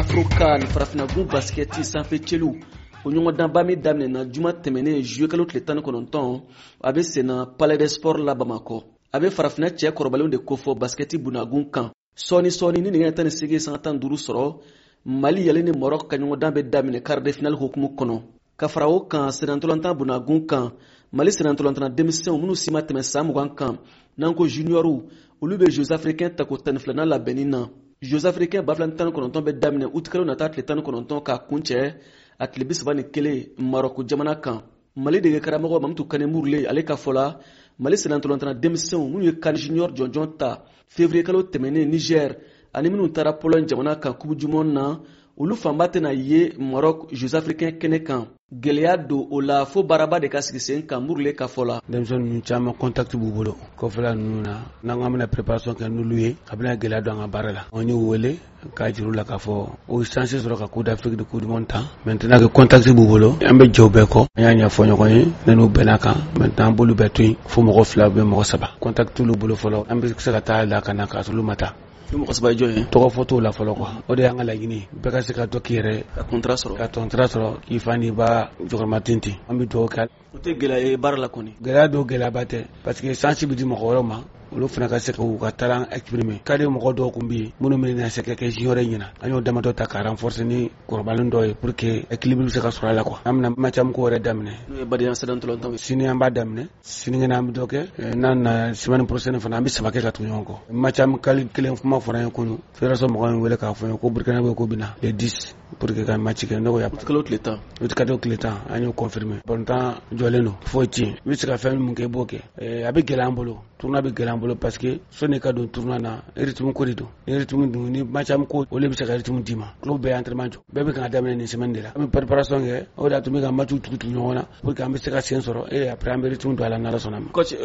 Afrocan farafinagun basikɛti sanfɛ celu, o ɲɔgɔndanba min daminɛna juma tɛmɛnen juillet kalo tile 19, a bɛ senna Palais des Sports la Bamakɔ. A bɛ farafinna cɛ kɔrɔbalenw de kofɔ basikɛti bunagun kan. Sɔɔni sɔɔni ni nɛgɛ 18:15 sɔrɔ, Mali yɛlɛ ni Maroc ka ɲɔgɔndan bɛ daminɛ quart de finale hukumu kɔnɔ. Ka fara o kan, sennantolatan bunagun kan, Mali sennantolatanna denmisɛnw minnu si ma tɛmɛ san 20 kan, n'an ko juniɔrw, olu bɛ Jeux africains tako 12nan labɛnni na. Jeux africains 2019 bɛ daminɛ utikalo nata tile 19 k'a kuncɛ a tile 31 Marɔku jamana kan. Mali dege karamɔgɔ Mamutu Kane Murule, ale ka fɔ la, Mali sennantolatanna denmisɛnw minnu ye CAN junior jɔnjɔn ta février kalo tɛmɛnen Niger, ani minnu taara Pologne jamana kan Coupe du monde na, olu fanba tɛna ye Maroc Jeux africains kɛnɛ kan. Gɛlɛya don o la, fo baaraba de ka sigi sen kan, Murule ka fɔ la. Denmisɛnnin ninnu caman, contact b'u bolo kɔfɛla ninnu na. N'an ko an bɛna préparation kɛ n'olu ye, a bɛna gɛlɛya don an ka baara la. An y'u wele k'a jira u la k'a fɔ o chance sɔrɔ ka Coupe d'Afrique de Coupe du monde tan. Maintenant que contact b'u bolo, an bɛ jɛ u bɛɛ kɔ. An y'a ɲɛfɔ ɲɔgɔn ye, ne n'u bɛnna kan. Maintenant, an b'olu bɛɛ to yen fo mɔgɔ fila bɛ mɔgɔ saba, contact t'olu bolo fɔlɔ. An bɛ se ka taa la ka na k'a sɔrɔ olu ma taa. Ni mɔgɔ saba ye jɔn ye? Tɔgɔ fɔ t'o la fɔlɔ quoi. O de y'an ka laɲini ye, bɛɛ ka se ka dɔ k'i yɛrɛ ka contrat sɔrɔ. Ka contrat sɔrɔ k'i fa n'i ba jɔkɔrɔma ten ten. An bɛ dugawu kɛ. O tɛ gɛlɛya ye baara la kɔni? Gɛlɛya don, gɛlɛyaba tɛ, parce que chance bɛ di mɔgɔ wɛrɛw ma, olu fana ka se k'u ka talent exprimer. Ka di mɔgɔ dɔw kun bɛ yen minnu bɛna se ka kɛ junior ɲɛna, an y'o damadɔ ta ka renforcer ni kɔrɔbalen dɔw ye pour que équilibre bɛ se ka sɔrɔ a la quoi. An bɛna match ko yɛrɛ daminɛ. N'o ye badenya sennantolatan ye. Sini an b'a daminɛ, sinikɛnɛ an bɛ dɔ kɛ, n'an na semaine prochaine fana, an bɛ saba kɛ ka tugu ɲɔgɔn kɔ. Match amical kelen kuma fɔra an ye kunun, fédération mɔgɔw ye wele k'a fɔ n ye ko Burkina bɛ ko bɛ na le 10 pour que ka match kɛ. Ne ko ya Kalo tile 10. Kalo tile 10, an y'o confirmer. Balontan jɔlen don, foyi tɛ yen. I bɛ se ka fɛn min kɛ, i b'o kɛ. A bɛ gɛlɛya an bolo, tournoi bɛ gɛlɛya an bolo, parce que sɔnni ka don tournoi na, rythme ko de don. Ni rythme dun ni match ko, olu bɛ se ka rythme d'i ma. Club bɛɛ entraînement jɔ, bɛɛ bɛ ka daminɛ nin semaine de la. An bɛ préparation kɛ, o de y'a to n bɛ ka match tugu tugu ɲɔgɔn na pour que an bɛ se ka sen sɔrɔ et après an bɛ rythme don a la, n'Ala sɔnna ma. Coach,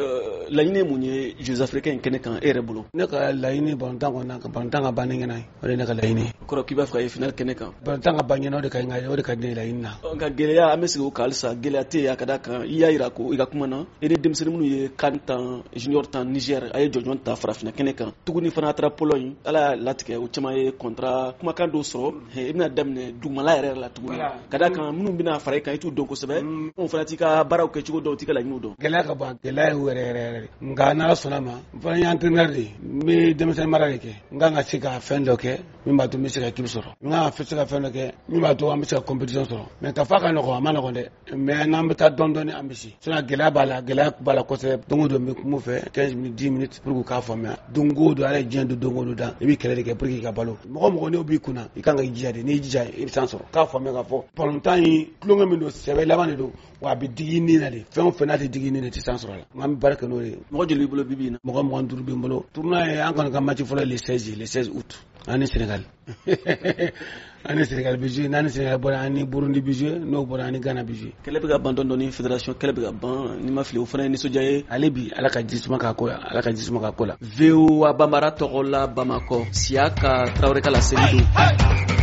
laɲini ye mun ye Jeux africains in kɛnɛ kan, e yɛrɛ bolo? Ne ka laɲini, balontan kɔni, ka balontan ka ban ni ɲɛna ye, o de ye ne ka laɲini ye. O kɔrɔ k'i b'a fɛ ka ye finale kɛnɛ kan? Balontan ka ban ɲɛna, o de ka ɲi, o de ka di ne ye laɲini na. Nka gɛlɛya, an bɛ segin o kan halisa, gɛlɛya tɛ yen, a ka d'a kan i y'a yira ko i ka kuma na, i ni denmisɛnnin minnu ye CAN tan junior tan Niger, a ye jɔnjɔn ta farafinna kɛnɛ kan tuguni fana, a taara Pologne, Ala y'a latigɛ, o caman ye contrat kumakan dɔw sɔrɔ. I bɛna daminɛ dugumala yɛrɛ la tuguni, ka d'a kan minnu bɛna fara i kan, i t'u dɔn kosɛbɛ, o fana t'i ka baaraw kɛ cogo dɔn, t'i ka laɲiniw dɔn. Gɛlɛya ka ban, gɛlɛya ye yɛrɛ yɛrɛ yɛrɛ. Nka n'Ala sɔnna ma, n fana ye entraîneur de ye, n bɛ denmisɛnnin mara de kɛ. N kan ka se ka fɛn dɔ kɛ min b'a to n bɛ se ka équipe sɔrɔ, n kan ka se ka fɛn dɔ kɛ min b'a to an bɛ se ka compétition sɔrɔ. Mais ka fɔ a ka nɔgɔn, a ma nɔgɔn dɛ, mais n'an bɛ taa dɔɔni dɔɔni, an bɛ se. Sinon gɛlɛya b'a la, gɛlɛya b'a la kosɛbɛ. Don o don n bɛ kuma u fɛ 15 minutes, 10 minutes pour que u k'a faamuya. Don o don, Ala ye diɲɛ don, don o don dan, i bɛ kɛlɛ de kɛ pour que i ka balo. Mɔgɔ mɔgɔ n'o b'i kunna, i kan ka i jija de. N'i jija, i bɛ san sɔrɔ. K'a faamuya k'a fɔ balontan ye tulonkɛ min don, sɛbɛ laban de don wa, a bɛ digi i ni na de. Fɛn o fɛn n'a tɛ digi i ni na, i tɛ san sɔrɔ a la. Nka an bɛ baara kɛ n'o de ye. Mɔgɔ joli b'i bolo bi bi in na? Mɔgɔ 25 bɛ n bolo. Tournoi ye, an kɔni ka match fɔlɔ le 16, le 16 août, an ni Sénégal, an ni Sénégal bɛ jouer. N'an ni Sénégal bɔra, an ni Burundi bɛ jouer. N'o bɔra, an ni Ghana bɛ jouer. Kɛlɛ bɛ ka ban dɔɔni dɔɔni, fédération kɛlɛ bɛ ka ban, n'i ma fili, o fana ye nisɔndiya ye. Ale bi, Ala ka ji suma k'a ko la, Ala ka ji suma k'a ko la. VOA Bambara tɔgɔ la Bamakɔ, Siyaka Tarawele ka laseli don.